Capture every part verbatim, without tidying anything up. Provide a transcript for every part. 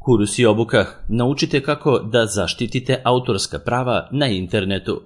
Kurs i obuka. Naučite kako da zaštitite autorska prava na internetu.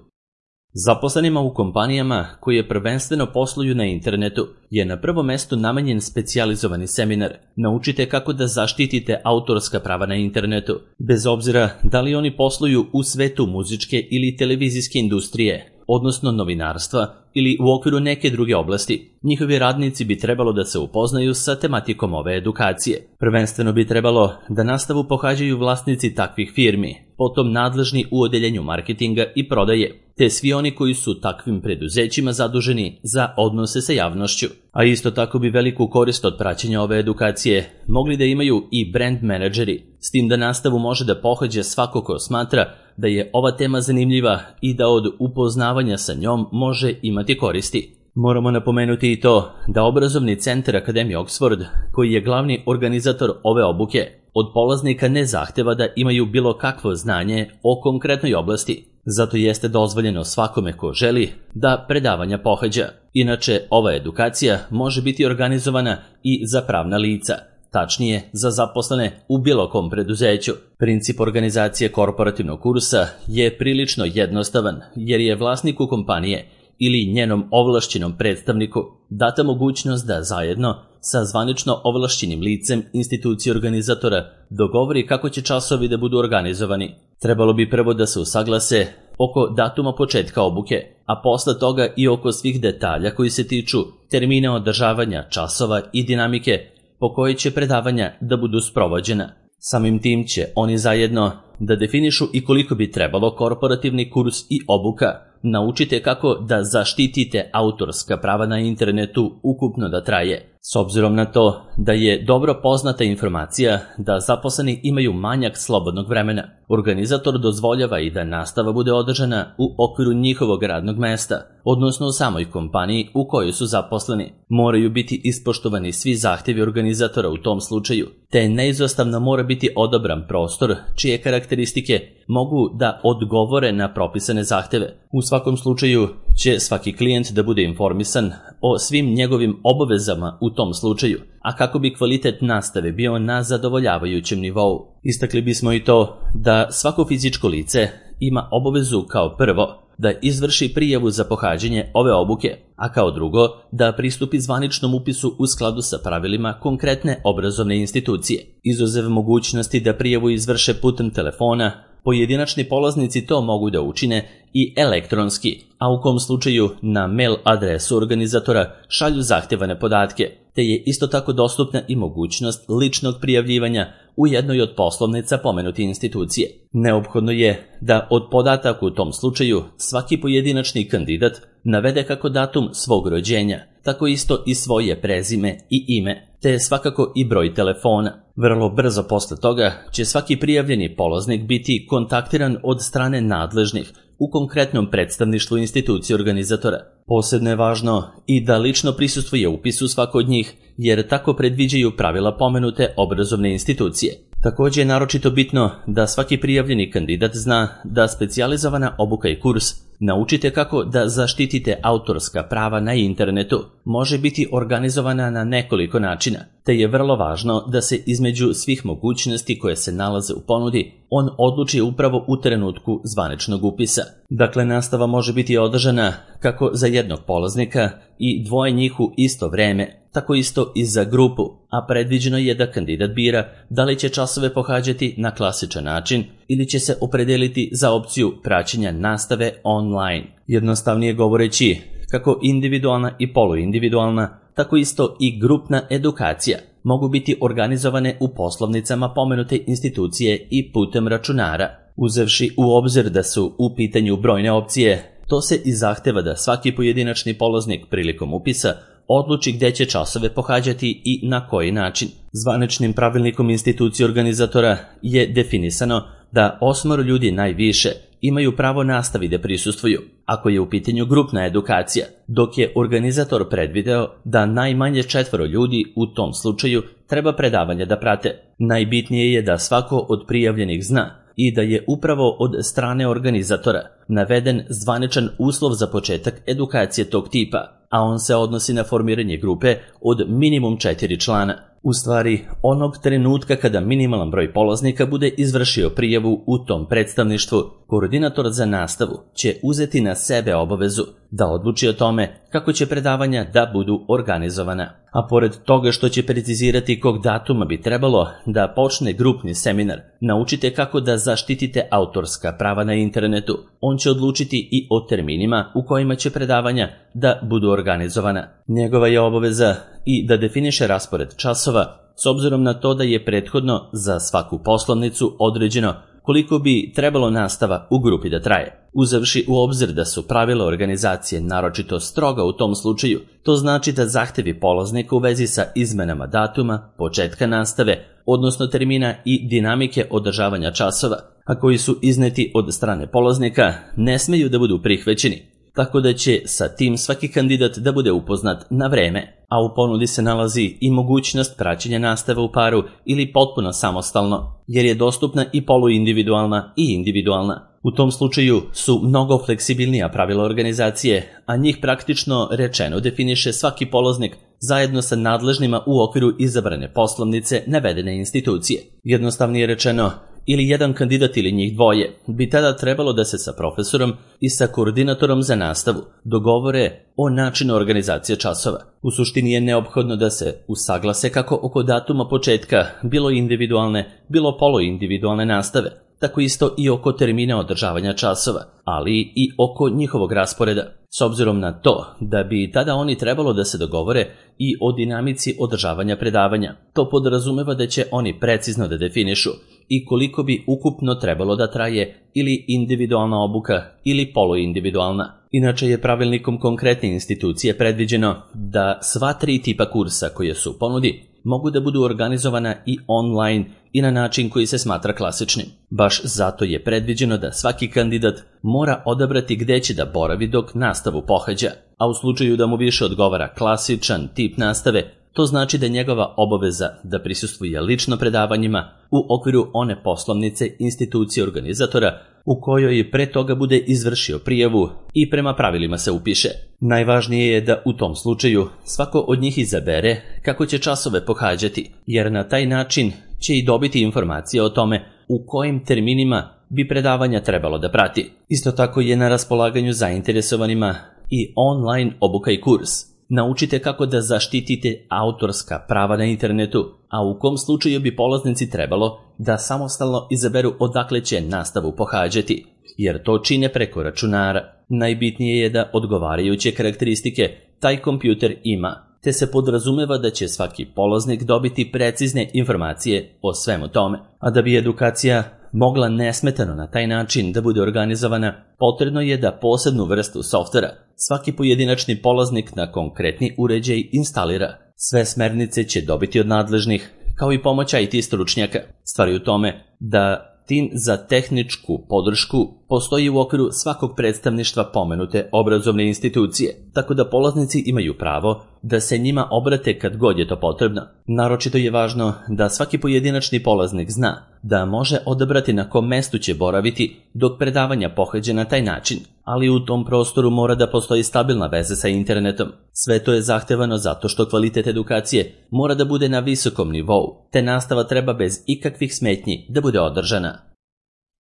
Zaposlenima u kompanijama koje prvenstveno posluju na internetu je na prvom mestu namenjen specijalizovani seminar. Naučite kako da zaštitite autorska prava na internetu, bez obzira da li oni posluju u svetu muzičke ili televizijske industrije, odnosno novinarstva ili u okviru neke druge oblasti. Njihovi radnici bi trebalo da se upoznaju sa tematikom ove edukacije. Prvenstveno bi trebalo da nastavu pohađaju vlasnici takvih firmi, potom nadležni u odeljenju marketinga i prodaje, te svi oni koji su takvim preduzećima zaduženi za odnose sa javnošću. A isto tako bi veliku korist od praćenja ove edukacije mogli da imaju i brand menadžeri, s tim da nastavu može da pohađa svako ko smatra da je ova tema zanimljiva i da od upoznavanja sa njom može imati koristi. Moramo napomenuti i to da obrazovni centar Akademije Oxford, koji je glavni organizator ove obuke, od polaznika ne zahteva da imaju bilo kakvo znanje o konkretnoj oblasti. Zato jeste dozvoljeno svakome ko želi da predavanja pohađa. Inače, ova edukacija može biti organizovana i za pravna lica, tačnije za zaposlene u bilo kom preduzeću. Princip organizacije korporativnog kursa je prilično jednostavan, jer je vlasniku kompanije ili njenom ovlašćenom predstavniku data mogućnost da zajedno sa zvanično ovlašćenim licem institucije organizatora dogovori kako će časovi da budu organizovani. Trebalo bi prvo da se usaglase oko datuma početka obuke, a posle toga i oko svih detalja koji se tiču termina održavanja časova i dinamike po kojoj će predavanja da budu sprovođena. Samim tim će oni zajedno da definišu i koliko bi trebalo korporativni kurs i obuka. Naučite kako da zaštitite autorska prava na internetu ukupno da traje. S obzirom na to da je dobro poznata informacija da zaposleni imaju manjak slobodnog vremena, organizator dozvoljava i da nastava bude održana u okviru njihovog radnog mesta, odnosno u samoj kompaniji u kojoj su zaposleni. Moraju biti ispoštovani svi zahtjevi organizatora u tom slučaju, te neizostavno mora biti odabran prostor čije karakteristike mogu da odgovore na propisane zahteve. U svakom slučaju će svaki klijent da bude informisan o svim njegovim obavezama u tom slučaju, a kako bi kvalitet nastave bio na zadovoljavajućem nivou. Istakli bismo i to da svako fizičko lice ima obavezu kao prvo da izvrši prijavu za pohađanje ove obuke, a kao drugo da pristupi zvaničnom upisu u skladu sa pravilima konkretne obrazovne institucije. Izuzev mogućnosti da prijavu izvrše putem telefona, pojedinačni polaznici to mogu da učine i elektronski, a u kom slučaju na mail adresu organizatora šalju zahtevane podatke, te je isto tako dostupna i mogućnost ličnog prijavljivanja u jednoj od poslovnica pomenute institucije. Neophodno je da od podataka u tom slučaju svaki pojedinačni kandidat navede kako datum svog rođenja, tako isto i svoje prezime i ime, te svakako i broj telefona. Vrlo brzo posle toga će svaki prijavljeni polaznik biti kontaktiran od strane nadležnih u konkretnom predstavništvu institucije organizatora. Posebno je važno i da lično prisustvuje upisu svako od njih, jer tako predviđaju pravila pomenute obrazovne institucije. Također je naročito bitno da svaki prijavljeni kandidat zna da specijalizovana obuka i kurs Naučite kako da zaštitite autorska prava na internetu može biti organizovana na nekoliko načina, te je vrlo važno da se između svih mogućnosti koje se nalaze u ponudi, on odluči upravo u trenutku zvaničnog upisa. Dakle, nastava može biti održana kako za jednog polaznika i dvoje njih u isto vreme, tako isto i za grupu, a predviđeno je da kandidat bira da li će časove pohađati na klasičan način ili će se opredeliti za opciju praćenja nastave online. Jednostavnije govoreći, kako individualna i poluindividualna, tako isto i grupna edukacija mogu biti organizovane u poslovnicama pomenute institucije i putem računara. Uzevši u obzir da su u pitanju brojne opcije, to se i zahteva da svaki pojedinačni polaznik prilikom upisa odluči gde će časove pohađati i na koji način. Zvaničnim pravilnikom institucije organizatora je definisano da osmoro ljudi najviše imaju pravo nastavi da prisustvuju, ako je u pitanju grupna edukacija, dok je organizator predvideo da najmanje četvoro ljudi u tom slučaju treba predavanje da prate. Najbitnije je da svako od prijavljenih zna i da je upravo od strane organizatora naveden zvaničan uslov za početak edukacije tog tipa, a on se odnosi na formiranje grupe od minimum četiri člana. U stvari, onog trenutka kada minimalan broj polaznika bude izvršio prijavu u tom predstavništvu, koordinator za nastavu će uzeti na sebe obavezu da odluči o tome kako će predavanja da budu organizovana. A pored toga što će precizirati kog datuma bi trebalo da počne grupni seminar, naučite kako da zaštitite autorska prava na internetu, on će odlučiti i o terminima u kojima će predavanja da budu organizovana. Njegova je obaveza i da definiše raspored časova, s obzirom na to da je prethodno za svaku poslovnicu određeno koliko bi trebalo nastava u grupi da traje. Uzevši u obzir da su pravila organizacije naročito stroga u tom slučaju, to znači da zahtevi polaznika u vezi sa izmenama datuma, početka nastave, odnosno termina i dinamike održavanja časova, a koji su izneti od strane polaznika, ne smeju da budu prihvaćeni, tako da će sa tim svaki kandidat da bude upoznat na vreme, a u ponudi se nalazi i mogućnost praćenja nastave u paru ili potpuno samostalno, jer je dostupna i poluindividualna i individualna. U tom slučaju su mnogo fleksibilnija pravila organizacije, a njih praktično rečeno definiše svaki polaznik zajedno sa nadležnima u okviru izabrane poslovnice navedene institucije. Jednostavnije rečeno, ili jedan kandidat ili njih dvoje bi tada trebalo da se sa profesorom i sa koordinatorom za nastavu dogovore o načinu organizacije časova. U suštini je neophodno da se usaglase kako oko datuma početka bilo individualne, bilo poluindividualne nastave, tako isto i oko termina održavanja časova, ali i oko njihovog rasporeda, s obzirom na to da bi tada oni trebalo da se dogovore i o dinamici održavanja predavanja. To podrazumeva da će oni precizno da definišu i koliko bi ukupno trebalo da traje ili individualna obuka ili poluindividualna. Inače je pravilnikom konkretne institucije predviđeno da sva tri tipa kursa koje su u ponudi mogu da budu organizovana i online i na način koji se smatra klasičnim. Baš zato je predviđeno da svaki kandidat mora odabrati gde će da boravi dok nastavu pohađa, a u slučaju da mu više odgovara klasičan tip nastave, to znači da je njegova obaveza da prisustvuje lično predavanjima u okviru one poslovnice institucije organizatora u kojoj pre toga bude izvršio prijavu i prema pravilima se upiše. Najvažnije je da u tom slučaju svako od njih izabere kako će časove pohađati, jer na taj način će i dobiti informacije o tome u kojim terminima bi predavanja trebalo da prati. Isto tako je na raspolaganju zainteresovanima i online obuka i kurs. Naučite kako da zaštitite autorska prava na internetu, a u kom slučaju bi polaznici trebalo da samostalno izaberu odakle će nastavu pohađati, jer to čine preko računara. Najbitnije je da odgovarajuće karakteristike taj kompjuter ima, te se podrazumeva da će svaki polaznik dobiti precizne informacije o svemu tome. A da bi edukacija mogla nesmetano na taj način da bude organizovana, potrebno je da posebnu vrstu softvera svaki pojedinačni polaznik na konkretni uređaj instalira. Sve smernice će dobiti od nadležnih, kao i pomoć I T stručnjaka. Stvar je u tome da tim za tehničku podršku postoji u okviru svakog predstavništva pomenute obrazovne institucije, tako da polaznici imaju pravo da se njima obrate kad god je to potrebno. Naročito je važno da svaki pojedinačni polaznik zna da može odabrati na kom mestu će boraviti dok predavanja pohađa na taj način, ali u tom prostoru mora da postoji stabilna veza sa internetom. Sve to je zahtevano zato što kvalitet edukacije mora da bude na visokom nivou, te nastava treba bez ikakvih smetnji da bude održana.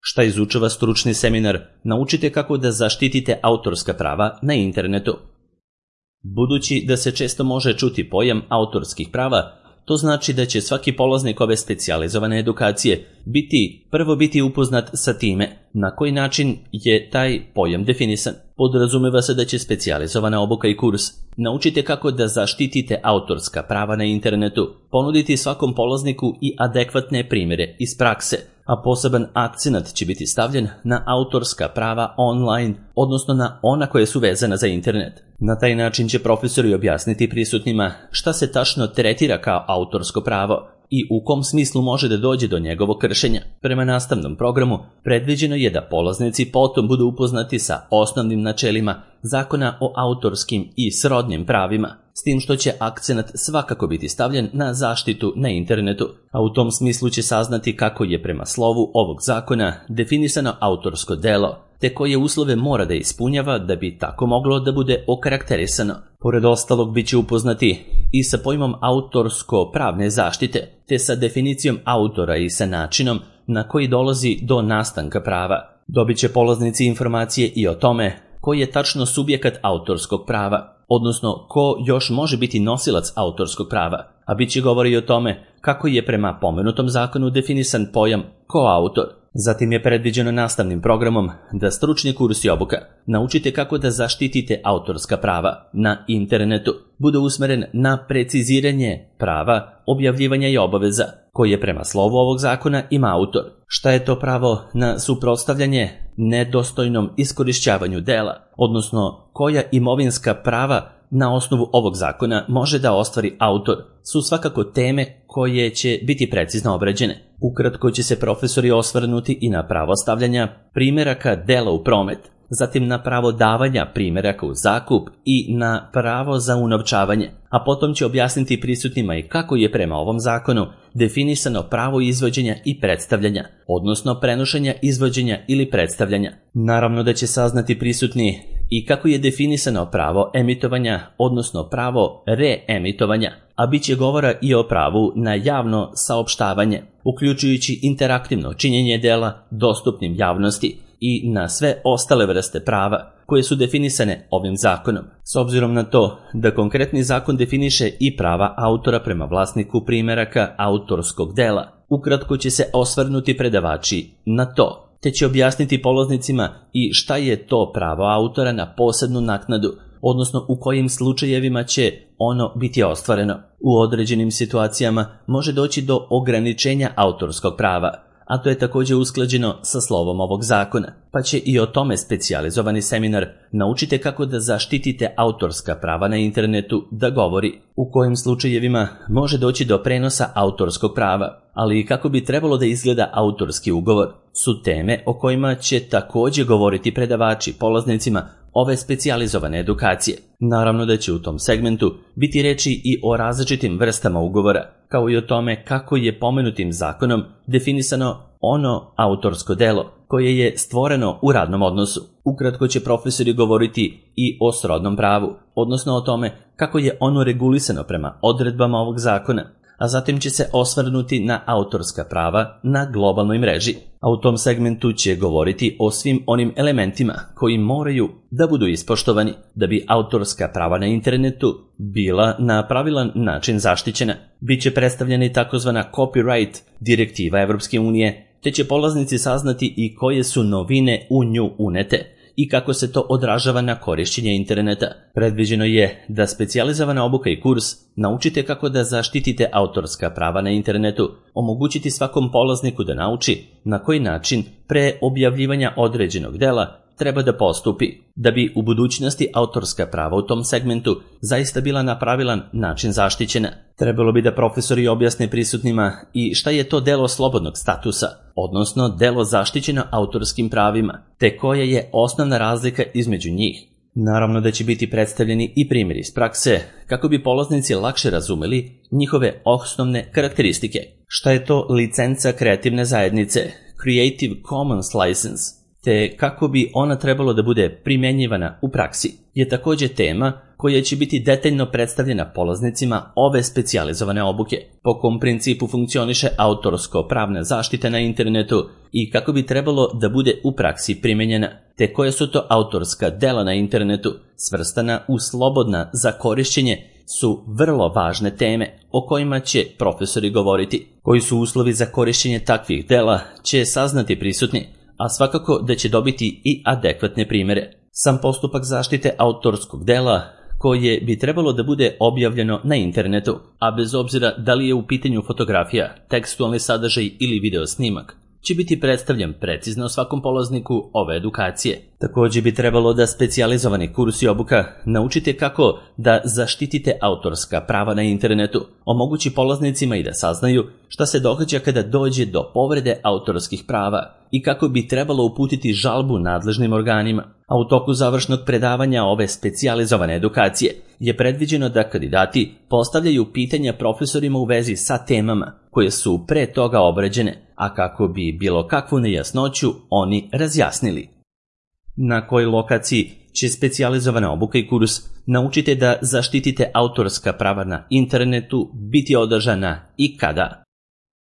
Šta izučava stručni seminar? Naučite kako da zaštitite autorska prava na internetu. Budući da se često može čuti pojam autorskih prava, to znači da će svaki polaznik ove specijalizovane edukacije biti prvo biti upoznat sa time na koji način je taj pojam definisan. Podrazumeva se da će specijalizovana obuka i kurs naučite kako da zaštitite autorska prava na internetu, ponuditi svakom polazniku i adekvatne primjere iz prakse, a poseban akcenat će biti stavljen na autorska prava online, odnosno na ona koje su vezana za internet. Na taj način će profesori objasniti prisutnima šta se tačno tretira kao autorsko pravo i u kom smislu može da dođe do njegovog kršenja. Prema nastavnom programu predviđeno je da polaznici potom budu upoznati sa osnovnim načelima Zakona o autorskim i srodnim pravima, s tim što će akcenat svakako biti stavljen na zaštitu na internetu, a u tom smislu će saznati kako je prema slovu ovog zakona definisano autorsko delo, te koje uslove mora da ispunjava da bi tako moglo da bude okarakterisano. Pored ostalog, bit će upoznati i sa pojmom autorsko-pravne zaštite, te sa definicijom autora i sa načinom na koji dolazi do nastanka prava. Dobit će polaznici informacije i o tome koji je tačno subjekat autorskog prava, odnosno ko još može biti nosilac autorskog prava, a bit će govori o tome kako je prema pomenutom zakonu definisan pojam koautor. Zatim je predviđeno nastavnim programom da stručni kurs i obuka naučite kako da zaštitite autorska prava na internetu bude usmeren na preciziranje prava, objavljivanja i obaveza koje prema slovu ovog zakona ima autor. Šta je to pravo na suprotstavljanje nedostojnom iskorišćavanju dela, odnosno koja imovinska prava na osnovu ovog zakona može da ostvari autor, su svakako teme koje će biti precizno obrađene. Ukratko će se profesori osvrnuti i na pravo stavljanja primjeraka dela u promet, zatim na pravo davanja primjeraka u zakup i na pravo za unovčavanje, a potom će objasniti prisutnima i kako je prema ovom zakonu definisano pravo izvođenja i predstavljanja, odnosno prenošenja, izvođenja ili predstavljanja. Naravno da će saznati prisutni i kako je definisano pravo emitovanja, odnosno pravo reemitovanja, a bit će govora i o pravu na javno saopštavanje, uključujući interaktivno činjenje dela dostupnim javnosti i na sve ostale vrste prava koje su definisane ovim zakonom. S obzirom na to da konkretni zakon definiše i prava autora prema vlasniku primjeraka autorskog dela, ukratko će se osvrnuti predavači na to, te će objasniti polaznicima i šta je to pravo autora na posebnu naknadu, odnosno u kojim slučajevima će ono biti ostvareno. U određenim situacijama može doći do ograničenja autorskog prava, a to je također usklađeno sa slovom ovog zakona, pa će i o tome specijalizovani seminar Naučite kako da zaštitite autorska prava na internetu da govori. U kojim slučajevima može doći do prenosa autorskog prava, ali i kako bi trebalo da izgleda autorski ugovor, su teme o kojima će također govoriti predavači polaznicima ove specijalizovane edukacije. Naravno da će u tom segmentu biti reči i o različitim vrstama ugovora, kao i o tome kako je pomenutim zakonom definisano ono autorsko delo koje je stvoreno u radnom odnosu. Ukratko će profesori govoriti i o srodnom pravu, odnosno o tome kako je ono regulisano prema odredbama ovog zakona, a zatim će se osvrnuti na autorska prava na globalnoj mreži. A u tom segmentu će govoriti o svim onim elementima koji moraju da budu ispoštovani da bi autorska prava na internetu bila na pravilan način zaštićena. Biće predstavljena i takozvana copyright direktiva Evropske unije, te će polaznici saznati i koje su novine u nju unete i kako se to odražava na korišćenje interneta. Predviđeno je da specijalizovana obuka i kurs Naučite kako da zaštitite autorska prava na internetu omogućiti svakom polazniku da nauči na koji način pre objavljivanja određenog dela treba da postupi, da bi u budućnosti autorska prava u tom segmentu zaista bila na pravilan način zaštićena. Trebalo bi da profesori objasne prisutnima i šta je to delo slobodnog statusa, odnosno delo zaštićeno autorskim pravima, te koja je osnovna razlika između njih. Naravno da će biti predstavljeni i primjeri iz prakse, kako bi polaznici lakše razumeli njihove osnovne karakteristike. Šta je to licenca kreativne zajednice, Creative Commons License, te kako bi ona trebalo da bude primjenjivana u praksi, je također tema koja će biti detaljno predstavljena polaznicima ove specijalizovane obuke, po kom principu funkcioniše autorsko-pravna zaštita na internetu i kako bi trebalo da bude u praksi primjenjena, te koje su to autorska dela na internetu, svrstana u slobodna za korišćenje, su vrlo važne teme o kojima će profesori govoriti. Koji su uslovi za korišćenje takvih dela će saznati prisutni, a svakako da će dobiti i adekvatne primjere. Sam postupak zaštite autorskog dela koje bi trebalo da bude objavljeno na internetu, a bez obzira da li je u pitanju fotografija, tekstualni sadržaj ili video snimak, će biti predstavljen precizno svakom polazniku ove edukacije. Također bi trebalo da specijalizovani kurs i obuka Naučite kako da zaštitite autorska prava na internetu omogući polaznicima i da saznaju šta se događa kada dođe do povrede autorskih prava i kako bi trebalo uputiti žalbu nadležnim organima. A u toku završnog predavanja ove specijalizovane edukacije je predviđeno da kandidati postavljaju pitanja profesorima u vezi sa temama koje su pre toga obrađene, a kako bi bilo kakvu nejasnoću oni razjasnili. Na kojoj lokaciji će specijalizovana obuka i kurs Naučite da zaštitite autorska prava na internetu biti održana i kada.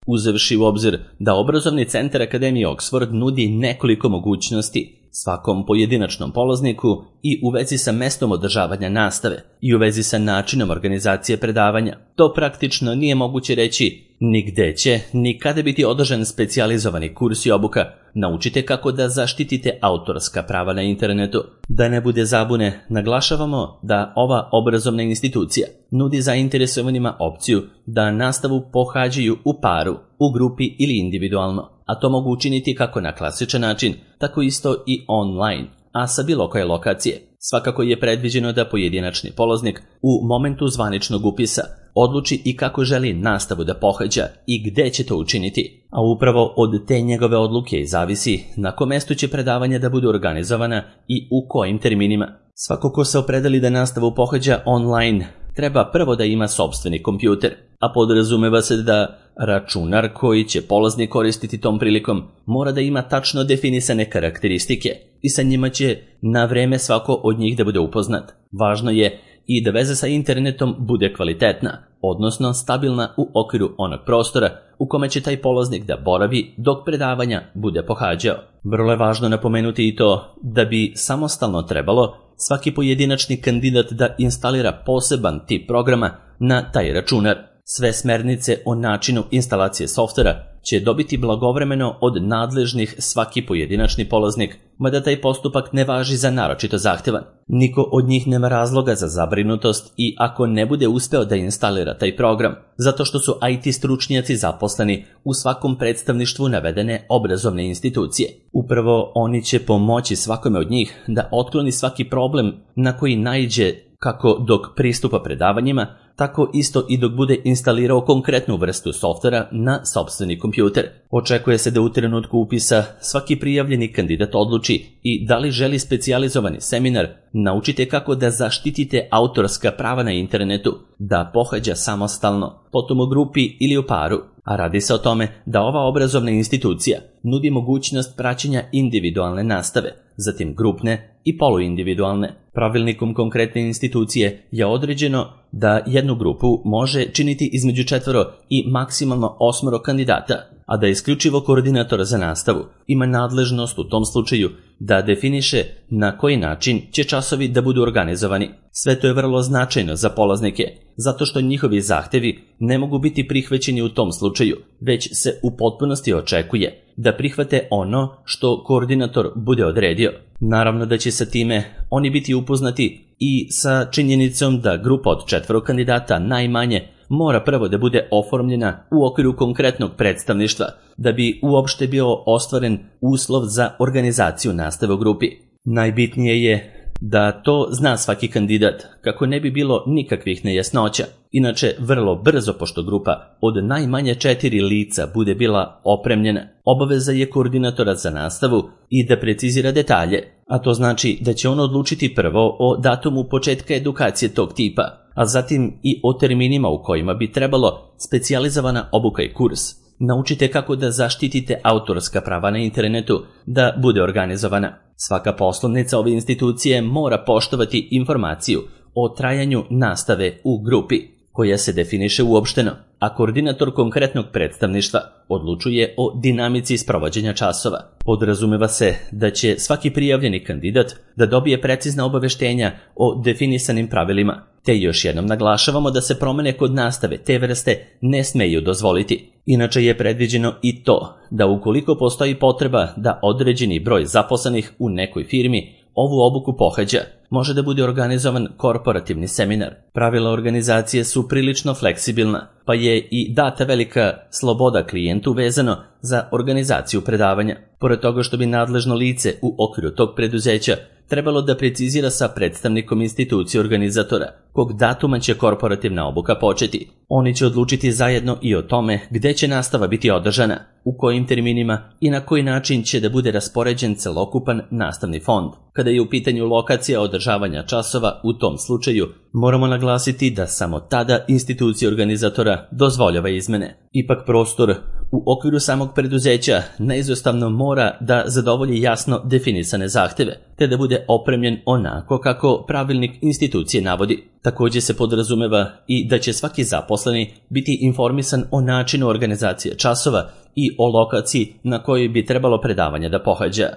Uzevši u obzir da obrazovni centar Akademije Oxford nudi nekoliko mogućnosti svakom pojedinačnom polazniku i u vezi sa mestom održavanja nastave i u vezi sa načinom organizacije predavanja, to praktično nije moguće reći ni gde će, ni kada biti održan specijalizovani kurs i obuka. Naučite kako da zaštitite autorska prava na internetu. Da ne bude zabune, naglašavamo da ova obrazovna institucija nudi zainteresovanima opciju da nastavu pohađaju u paru, u grupi ili individualno, a to mogu učiniti kako na klasičan način, tako isto i online, a sa bilo koje lokacije. Svakako je predviđeno da pojedinačni polaznik u momentu zvaničnog upisa odluči i kako želi nastavu da pohađa i gde će to učiniti, a upravo od te njegove odluke zavisi na kom mestu će predavanja da budu organizovana i u kojim terminima. Svako ko se opredeli da nastavu pohađa online treba prvo da ima sopstveni kompjuter, a podrazumeva se da računar koji će polaznik koristiti tom prilikom mora da ima tačno definisane karakteristike i sa njima će na vreme svako od njih da bude upoznat. Važno je i da veza sa internetom bude kvalitetna, odnosno stabilna u okviru onog prostora u kome će taj polaznik da boravi dok predavanja bude pohađao. Vrlo je važno napomenuti i to da bi samostalno trebalo svaki pojedinačni kandidat da instalira poseban tip programa na taj računar. Sve smernice o načinu instalacije softvera će dobiti blagovremeno od nadležnih svaki pojedinačni polaznik, mada taj postupak ne važi za naročito zahtevan. Niko od njih nema razloga za zabrinutost i ako ne bude uspeo da instalira taj program, zato što su I T stručnjaci zaposleni u svakom predstavništvu navedene obrazovne institucije. Upravo oni će pomoći svakome od njih da otkloni svaki problem na koji naiđe kako dok pristupa predavanjima, tako isto i dok bude instalirao konkretnu vrstu softvera na sopstveni kompjuter. Očekuje se da u trenutku upisa svaki prijavljeni kandidat odluči i da li želi specijalizovani seminar Naučite kako da zaštitite autorska prava na internetu, da pohađa samostalno, potom u grupi ili u paru. A radi se o tome da ova obrazovna institucija nudi mogućnost praćenja individualne nastave, zatim grupne i poluindividualne. Pravilnikom konkretne institucije je određeno da jednu grupu može činiti između četvoro i maksimalno osmoro kandidata, a da isključivo koordinator za nastavu ima nadležnost u tom slučaju da definiše na koji način će časovi da budu organizovani. Sve to je vrlo značajno za polaznike, zato što njihovi zahtevi ne mogu biti prihvaćeni u tom slučaju, već se u potpunosti očekuje da prihvate ono što koordinator bude odredio. Naravno da će sa time oni biti upoznati i sa činjenicom da grupa od četvoro kandidata najmanje mora prvo da bude oformljena u okviru konkretnog predstavništva da bi uopšte bio ostvaren uslov za organizaciju nastave u grupi. Najbitnije je da to zna svaki kandidat kako ne bi bilo nikakvih nejasnoća. Inače, vrlo brzo, pošto grupa od najmanje četiri lica bude bila opremljena, obaveza je koordinatora za nastavu i da precizira detalje, a to znači da će on odlučiti prvo o datumu početka edukacije tog tipa, a zatim i o terminima u kojima bi trebalo specijalizovana obuka i kurs. Naučite kako da zaštitite autorska prava na internetu da bude organizovana. Svaka poslovnica ove institucije mora poštovati informaciju o trajanju nastave u grupi, koja se definiše uopšteno, a koordinator konkretnog predstavništva odlučuje o dinamici sprovođenja časova. Podrazumeva se da će svaki prijavljeni kandidat da dobije precizna obaveštenja o definisanim pravilima, te još jednom naglašavamo da se promene kod nastave te vrste ne smeju dozvoliti. Inače je predviđeno i to da ukoliko postoji potreba da određeni broj zaposlenih u nekoj firmi ovu obuku pohađa, može da bude organizovan korporativni seminar. Pravila organizacije su prilično fleksibilna, pa je i data velika sloboda klijentu vezano za organizaciju predavanja. Pored toga što bi nadležno lice u okviru tog preduzeća trebalo da precizira sa predstavnikom institucije organizatora kog datuma će korporativna obuka početi. Oni će odlučiti zajedno i o tome gde će nastava biti održana. u kojim terminima i na koji način će da bude raspoređen celokupan nastavni fond. Kada je u pitanju lokacija održavanja časova, u tom slučaju moramo naglasiti da samo tada institucija organizatora dozvoljava izmene. Ipak prostor u okviru samog preduzeća neizostavno mora da zadovolji jasno definisane zahteve, te da bude opremljen onako kako pravilnik institucije navodi. Također se podrazumeva i da će svaki zaposleni biti informisan o načinu organizacije časova i o lokaciji na kojoj bi trebalo predavanje da pohađa.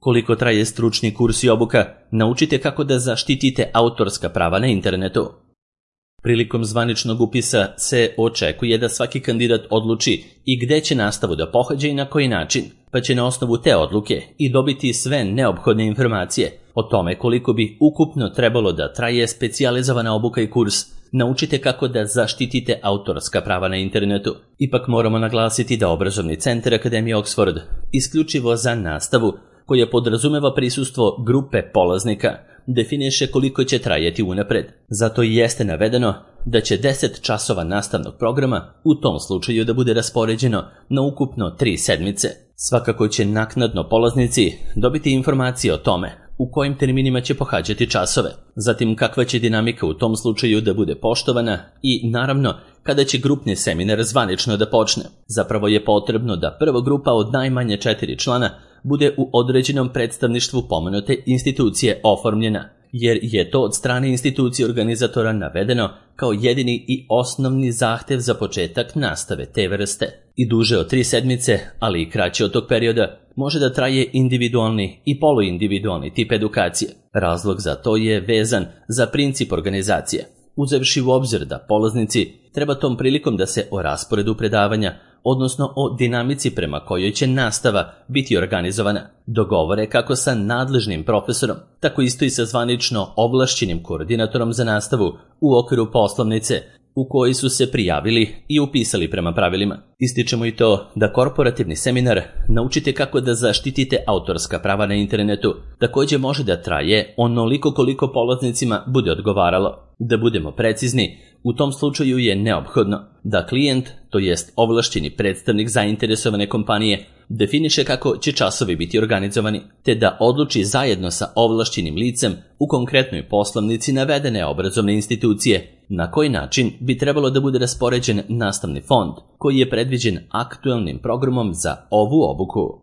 Koliko traje stručni kurs i obuka, naučite kako da zaštitite autorska prava na internetu. Prilikom zvaničnog upisa se očekuje da svaki kandidat odluči i gde će nastavu da pohađa i na koji način, pa će na osnovu te odluke i dobiti sve neophodne informacije o tome koliko bi ukupno trebalo da traje specijalizovana obuka i kurs. Naučite kako da zaštitite autorska prava na internetu. Ipak moramo naglasiti da obrazovni centar Akademije Oxford isključivo za nastavu, koja podrazumeva prisustvo grupe polaznika, definiše koliko će trajati unapred. Zato i jeste navedeno da će deset časova nastavnog programa u tom slučaju da bude raspoređeno na ukupno tri sedmice. Svakako će naknadno polaznici dobiti informacije o tome u kojim terminima će pohađati časove, zatim kakva će dinamika u tom slučaju da bude poštovana i, naravno, kada će grupni seminar zvanično da počne. Zapravo je potrebno da prva grupa od najmanje četiri člana bude u određenom predstavništvu pomenute institucije oformljena, jer je to od strane institucije organizatora navedeno kao jedini i osnovni zahtev za početak nastave te vrste. I duže od tri sedmice, ali i kraće od tog perioda, može da traje individualni i poluindividualni tip edukacije. Razlog za to je vezan za princip organizacije, uzevši u obzir da polaznici treba tom prilikom da se o rasporedu predavanja, odnosno o dinamici prema kojoj će nastava biti organizovana, dogovore kako sa nadležnim profesorom, tako isto i sa zvanično ovlašćenim koordinatorom za nastavu u okviru poslovnice u koji su se prijavili i upisali prema pravilima. Ističemo i to da korporativni seminar Naučite kako da zaštitite autorska prava na internetu također može da traje onoliko koliko polaznicima bude odgovaralo. Da budemo precizni, u tom slučaju je neophodno da klijent, to jest ovlašćeni predstavnik zainteresovane kompanije, definiše kako će časovi biti organizovani, te da odluči zajedno sa ovlašćenim licem u konkretnoj poslovnici navedene obrazovne institucije na koji način bi trebalo da bude raspoređen nastavni fond koji je predviđen aktuelnim programom za ovu obuku.